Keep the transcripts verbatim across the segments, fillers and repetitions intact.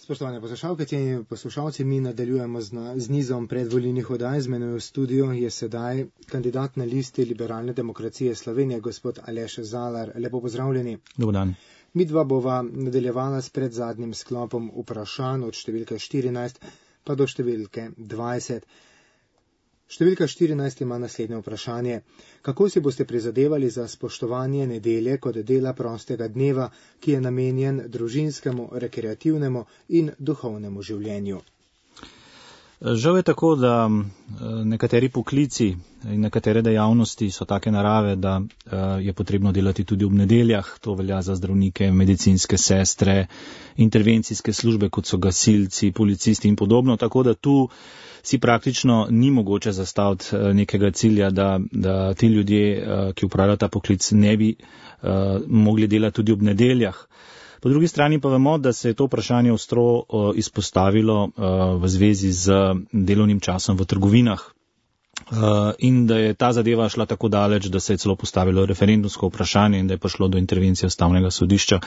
Spoštovane poslušalke in poslušalci, mi nadaljujemo z, na, z nizom predvolilnih oddaj. Z menoj v studiu je sedaj kandidat na listi Liberalne demokracije Slovenije, gospod Aleš Zalar. Lepo pozdravljeni. Dober dan. Mi dva bova nadaljevala s predzadnjim sklopom vprašanj od številke štirinajst pa do številke dvajset. Številka štirinajst ima naslednje vprašanje. Kako si boste prizadevali za spoštovanje nedelje kot dela prostega dneva, ki je namenjen družinskemu, rekreativnemu in duhovnemu življenju? Žal je tako, da nekateri poklici in nekatere dejavnosti so take narave, da je potrebno delati tudi ob nedeljah. To velja za zdravnike, medicinske sestre, intervencijske službe, kot so gasilci, policisti in podobno. Tako da tu si praktično ni mogoče zastaviti nekega cilja, da, da ti ljudje, ki upravljajo ta poklic, ne bi mogli delati tudi ob nedeljah. Po drugi strani pa vemo, da se je to vprašanje ostro uh, izpostavilo uh, v zvezi z delovnim časom v trgovinah uh, in da je ta zadeva šla tako daleč, da se je celo postavilo referendumsko vprašanje in da je prišlo do intervencije Ustavnega sodišča.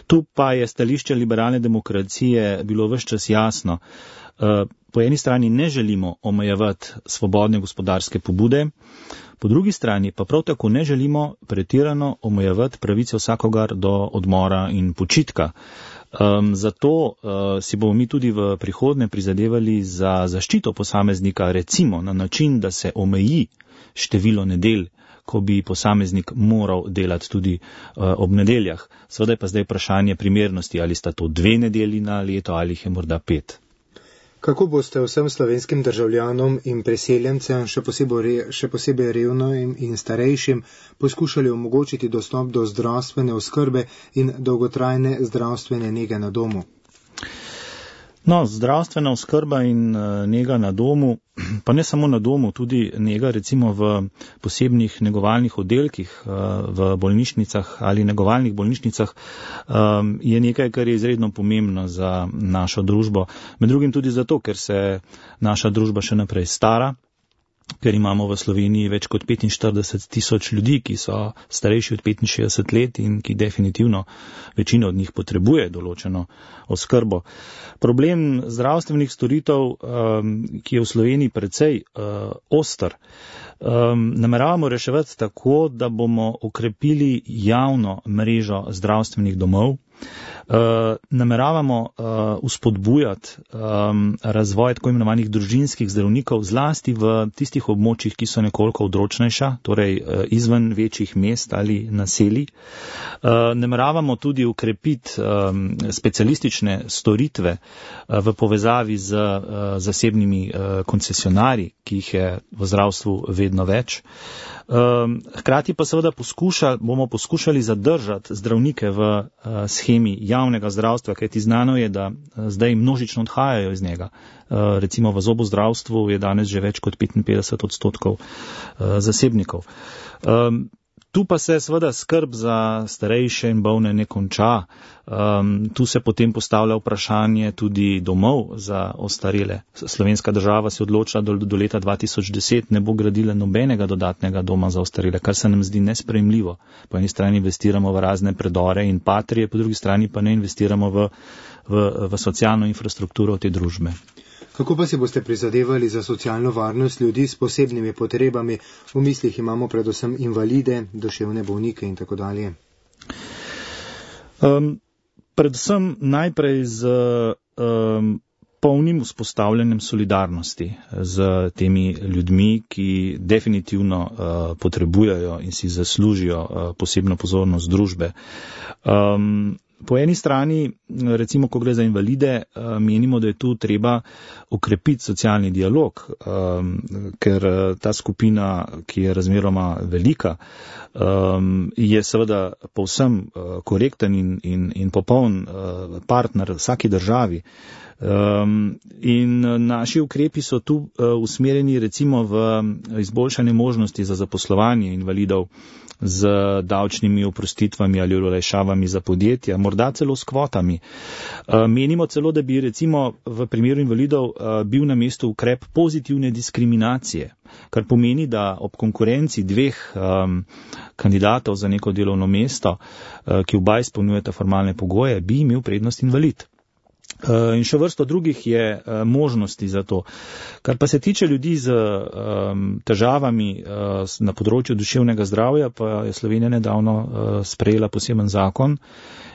Tu pa je stališče liberalne demokracije bilo ves čas jasno. Uh, po eni strani ne želimo omejevati svobodne gospodarske pobude, po drugi strani pa prav tako ne želimo pretirano omejevati pravice vsakogar do odmora in počitka. Um, zato uh, si bomo mi tudi v prihodnje prizadevali za zaščito posameznika, recimo na način, da se omeji število nedelj, ko bi posameznik moral delati tudi uh, ob nedeljah. Seveda je pa zdaj vprašanje primernosti, ali sta to dve nedelji na leto ali jih je morda pet. Kako boste vsem slovenskim državljanom in preseljencem, še posebej, še posebej revnim in starejšim, poskušali omogočiti dostop do zdravstvene oskrbe in dolgotrajne zdravstvene nege na domu? No, zdravstvena oskrba in nega na domu, pa ne samo na domu, tudi nega recimo v posebnih negovalnih oddelkih v bolnišnicah ali negovalnih bolnišnicah je nekaj, kar je izredno pomembno za našo družbo. Med drugim tudi zato, ker se naša družba še naprej stara, ker imamo v Sloveniji več kot petinštirideset tisoč ljudi, ki so starejši od petinšestdeset let in ki definitivno večina od njih potrebuje določeno oskrbo. Problem zdravstvenih storitev, um, ki je v Sloveniji precej uh, oster, um, nameravamo reševati tako, da bomo okrepili javno mrežo zdravstvenih domov. Uh, nameravamo uh, uspodbujati um, razvoj tako imenovanih družinskih zdravnikov, zlasti v tistih območjih, ki so nekoliko odročnejša, torej uh, izven večjih mest ali naselij. Uh, nameravamo tudi ukrepiti um, specialistične storitve uh, v povezavi z uh, zasebnimi uh, koncesionarji, ki jih je v zdravstvu vedno več. Um, hkrati pa seveda poskuša, bomo poskušali zadržati zdravnike v uh, schemi javnega zdravstva, kajti znano je, da uh, zdaj množično odhajajo iz njega. Uh, recimo v zobozdravstvu je danes že več kot petinpetdeset odstotkov uh, zasebnikov. Um, Tu pa se seveda skrb za starejše in bolne ne konča. Um, tu se potem postavlja vprašanje tudi domov za ostarele. Slovenska država se je odločila, da do, do leta dva tisoč deset ne bo gradila nobenega dodatnega doma za ostarele, kar se nam zdi nesprejemljivo. Po eni strani investiramo v razne predore in patrije, po drugi strani pa ne investiramo v, v, v socialno infrastrukturo te družbe. Kako pa si boste prizadevali za socialno varnost ljudi s posebnimi potrebami? V mislih imamo predvsem invalide, duševne bolnike in tako dalje. Um, predvsem najprej z um, polnim vzpostavljanjem solidarnosti z temi ljudmi, ki definitivno uh, potrebujejo in si zaslužijo uh, posebno pozornost družbe. Um, Po eni strani, recimo, ko gre za invalide, menimo, da je tu treba okrepiti socialni dialog, ker ta skupina, ki je razmeroma velika, je seveda povsem korekten in, in, in popoln partner vsaki državi. Um, in naši ukrepi so tu uh, usmerjeni recimo v izboljšanje možnosti za zaposlovanje invalidov z davčnimi oprostitvami ali olajšavami za podjetja, morda celo s kvotami. Uh, menimo celo, da bi recimo v primeru invalidov uh, bil na mestu ukrep pozitivne diskriminacije, kar pomeni, da ob konkurenci dveh um, kandidatov za neko delovno mesto, uh, ki oba izpolnjujeta formalne pogoje, bi imel prednost invalid. In še vrsto drugih je možnosti za to. Kar pa se tiče ljudi z težavami na področju duševnega zdravja, pa je Slovenija nedavno sprejela poseben zakon.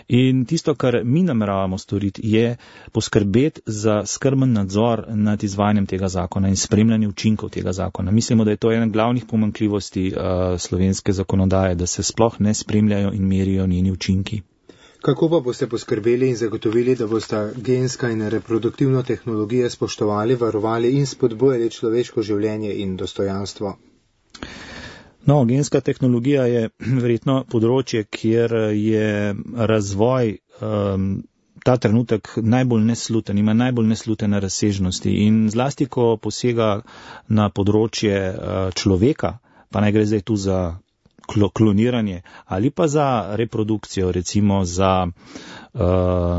In tisto, kar mi nameravamo storiti, je poskrbeti za skrben nadzor nad izvajanjem tega zakona in spremljanje učinkov tega zakona. Mislimo, da je to ena glavnih pomanjkljivosti slovenske zakonodaje, da se sploh ne spremljajo in merijo njeni učinki. Kako pa boste poskrbeli in zagotovili, da boste genska in reproduktivno tehnologijo spoštovali, varovali in spodbujali človeško življenje in dostojanstvo? No, genska tehnologija je verjetno področje, kjer je razvoj um, ta trenutek najbolj nesluten, ima najbolj neslutene razsežnosti in zlasti, ko posega na področje uh, človeka, pa naj gre zdaj tu za kloniranje ali pa za reprodukcijo, recimo za uh,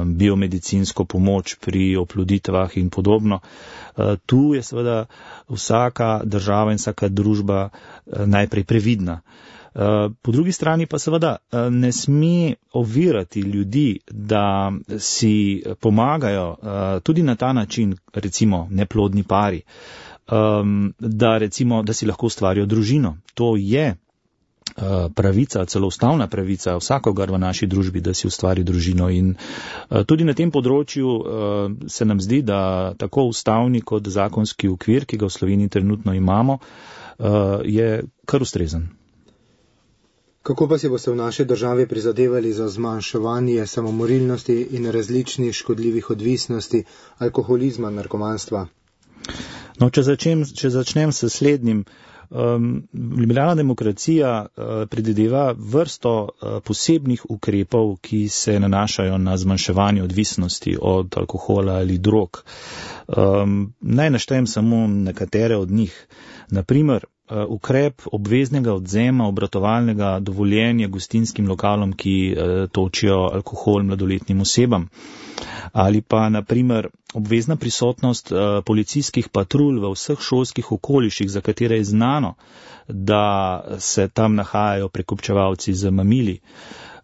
biomedicinsko pomoč pri oploditvah in podobno. Uh, tu je seveda vsaka država in vsaka družba uh, najprej previdna. Uh, po drugi strani pa seveda uh, ne sme ovirati ljudi, da si pomagajo uh, tudi na ta način, recimo neplodni pari, um, da recimo, da si lahko ustvarijo družino. To je pravica, celo ustavna pravica vsakogar v naši družbi, da si ustvari družino in tudi na tem področju se nam zdi, da tako ustavni kot zakonski okvir, ki ga v Sloveniji trenutno imamo, je kar ustrezen. Kako pa si boste v naši državi prizadevali za zmanjševanje samomorilnosti in različnih škodljivih odvisnosti, alkoholizma, narkomanstva? No, če začnem, če začnem s slednjim, Um, liberalna demokracija uh, predvideva vrsto uh, posebnih ukrepov, ki se nanašajo na zmanjševanje odvisnosti od alkohola ali drog. Um, naj naštejem samo nekatere od njih. Naprimer, uh, ukrep obveznega odzema obratovalnega dovoljenja gostinskim lokalom, ki uh, točijo alkohol mladoletnim osebam. Ali pa, naprimer, obvezna prisotnost uh, policijskih patrulj v vseh šolskih okoliših, za katere je znano, da se tam nahajajo prekupčevalci z mamili.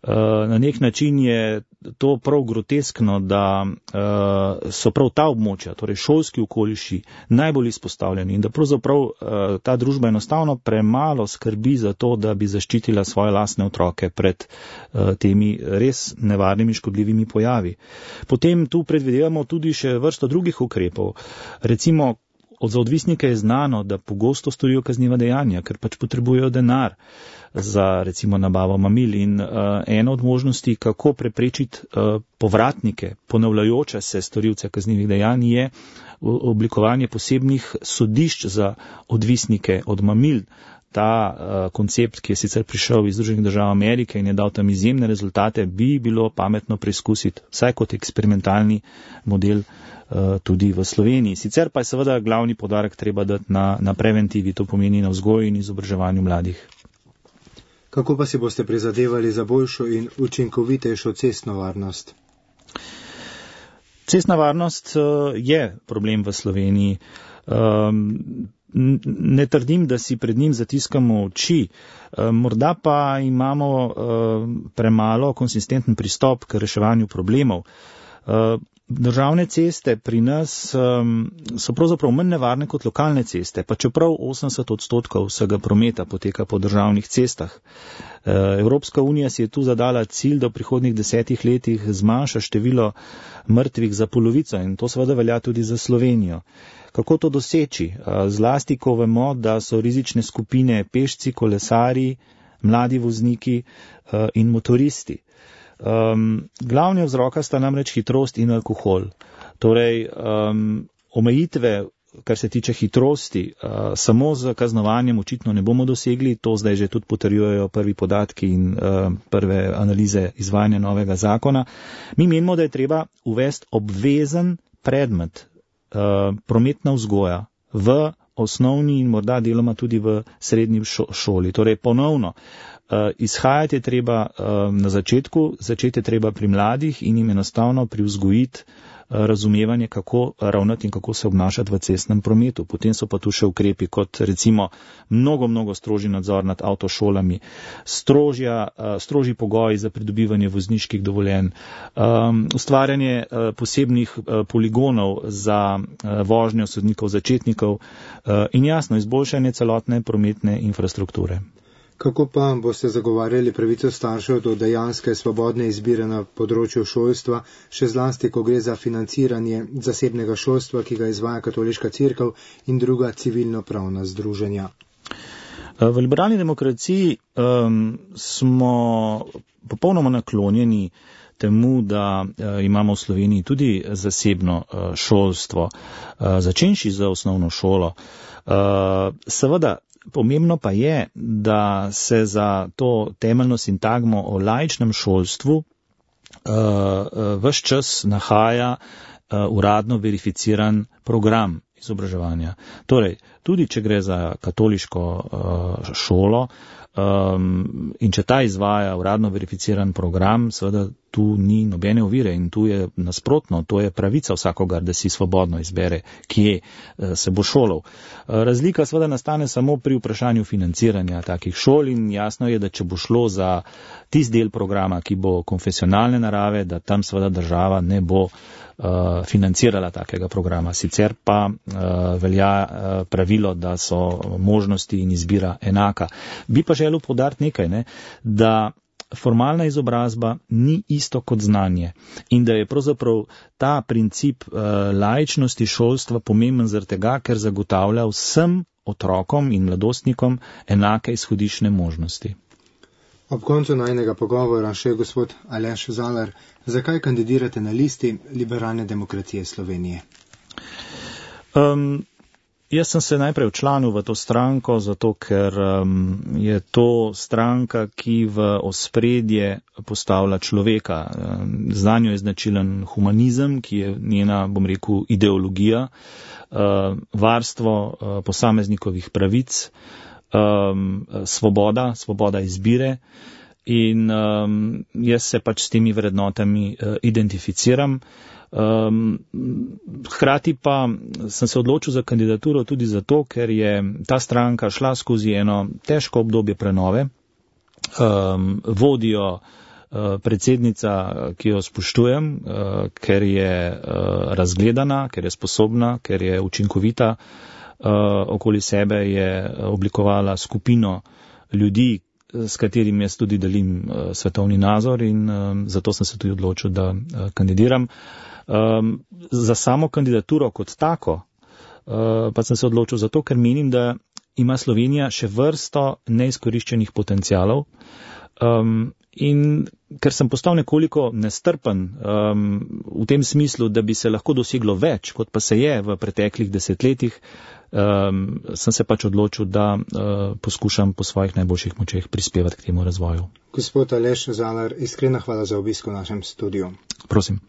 Uh, na nek način je to prav groteskno, da uh, so prav ta območja, torej šolski okoliši, najbolj izpostavljeni in da pravzaprav uh, ta družba enostavno premalo skrbi za to, da bi zaščitila svoje lastne otroke pred uh, temi res nevarnimi škodljivimi pojavi. Potem tu predvidevamo tudi še vrsto drugih ukrepov. Recimo, za odvisnike je znano, da pogosto storijo kazniva dejanja, ker pač potrebujejo denar za recimo nabavo mamil in uh, ena od možnosti, kako preprečiti uh, povratnike, ponavljajoče se storilce kaznivih dejanj, je oblikovanje posebnih sodišč za odvisnike od mamil. Ta uh, koncept, ki je sicer prišel iz Združenih držav Amerike in je dal tam izjemne rezultate, bi bilo pametno preizkusiti, vsaj kot eksperimentalni model uh, tudi v Sloveniji. Sicer pa je seveda glavni poudarek treba dati na, na preventivi, to pomeni na vzgoju in izobraževanju mladih. Kako pa si boste prizadevali za boljšo in učinkovitejšo cestno varnost? Cestna varnost uh, je problem v Sloveniji. Um, Ne trdim, da si pred njim zatiskamo oči, morda pa imamo premalo konsistenten pristop k reševanju problemov. Državne ceste pri nas so pravzaprav manj nevarne kot lokalne ceste, pa čeprav osemdeset odstotkov vsega prometa poteka po državnih cestah. Evropska unija si je tu zadala cilj, da v prihodnjih desetih letih zmanjša število mrtvih za polovico in to seveda velja tudi za Slovenijo. Kako to doseči? Zlasti, ko vemo, da so rizične skupine pešci, kolesari, mladi vozniki in motoristi. Um, glavni vzroka sta namreč hitrost in alkohol. Torej, um, omejitve, kar se tiče hitrosti, uh, samo z kaznovanjem očitno ne bomo dosegli, to zdaj že tudi potrjujejo prvi podatki in uh, prve analize izvajanja novega zakona. Mi menimo, da je treba uvesti obvezen predmet uh, prometna vzgoja v osnovni in morda deloma tudi v srednji šoli. Torej, ponovno, Uh, izhajati je treba uh, na začetku, začeti je treba pri mladih in jim enostavno privzgojiti razumevanje, kako ravnati in kako se obnašati v cestnem prometu. Potem so pa tu še ukrepi, kot recimo mnogo, mnogo strožji nadzor nad avtošolami, strožja, strožji pogoji za pridobivanje vozniških dovoljenj, ustvarjanje posebnih poligonov za vožnjo sodnikov začetnikov in jasno izboljšanje celotne prometne infrastrukture. Kako pa boste zagovarjali pravico staršev do dejanske svobodne izbire na področju šolstva, še zlasti, ko gre za financiranje zasebnega šolstva, ki ga izvaja Katoliška cerkev in druga civilno-pravna združenja? V liberalni demokraciji um, smo popolnoma naklonjeni temu, da uh, imamo v Sloveniji tudi zasebno uh, šolstvo, uh, začenši z osnovno šolo. Uh, seveda, pomembno pa je, da se za to temeljno sintagmo o laičnem šolstvu uh, uh, ves čas nahaja uh, uradno verificiran program izobraževanja. Torej, tudi če gre za katoliško uh, šolo um, in če ta izvaja uradno verificiran program, seveda tu ni nobene ovire in tu je nasprotno, to je pravica vsakogar, da si svobodno izbere, kje uh, se bo šolal. Uh, razlika seveda nastane samo pri vprašanju financiranja takih šol in jasno je, da če bo šlo za tist del programa, ki bo konfesionalne narave, da tam seveda država ne bo Uh, financirala takega programa. Sicer pa uh, velja uh, pravilo, da so možnosti in izbira enaka. Bi pa želel poudariti nekaj, ne, da formalna izobrazba ni isto kot znanje in da je pravzaprav ta princip uh, laičnosti šolstva pomemben zaradi tega, ker zagotavlja vsem otrokom in mladostnikom enake izhodišne možnosti. Ob koncu najnega pogovora še gospod Aleš Zalar, zakaj kandidirate na listi Liberalne demokracije Slovenije? Um, jaz sem se najprej včlanil v to stranko, zato ker um, je to stranka, ki v ospredje postavlja človeka. Um, za njo je značilen humanizem, ki je njena, bom rekel, ideologija, uh, varstvo uh, posameznikovih pravic, Um, svoboda, svoboda izbire in um, jaz se pač s temi vrednotami uh, identificiram. Um, hkrati pa sem se odločil za kandidaturo tudi zato, ker je ta stranka šla skozi eno težko obdobje prenove. Um, vodijo uh, predsednica, ki jo spoštujem, uh, ker je uh, razgledana, ker je sposobna, ker je učinkovita. Uh, okoli sebe je oblikovala skupino ljudi, s katerimi jaz tudi delim uh, svetovni nazor in um, zato sem se tudi odločil, da uh, kandidiram. Um, za samo kandidaturo kot tako uh, pa sem se odločil zato, ker menim, da ima Slovenija še vrsto neizkoriščenih potencialov um, in ker sem postal nekoliko nestrpen um, v tem smislu, da bi se lahko doseglo več, kot pa se je v preteklih desetletjih, Um, sem se pač odločil, da uh, poskušam po svojih najboljših močeh prispevati k temu razvoju. Gospod Aleš Zalar, iskrena hvala za obisk v našem studiu. Prosim.